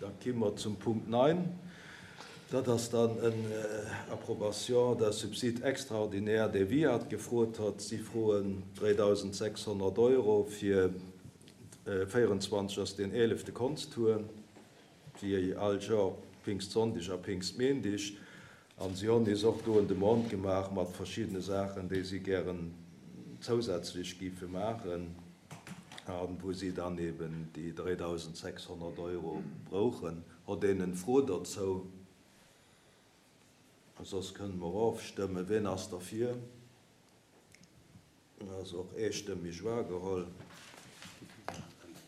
Da ki mer zum Punkt 9. Dat ass dann en Approbation d'un subside extraordinaire, dee WIAT gefrot hat. Si froen 3.600 Euro fir 24 ass deen eelefte Konsttour, wéi all Joer Pingstsonndeg a Pingstméindig. An si honn nees och do en Demande gemaach mat verschiddene Saachen, déi si gären zousätzlech géife maachen a wou si dann eben déi 3.600 Euro brouchen. Hott een en Fro dozou? Soss kënne mer ofstëmmen. Ween ass derfir? Ass och eestëmmeg wahrgeholl.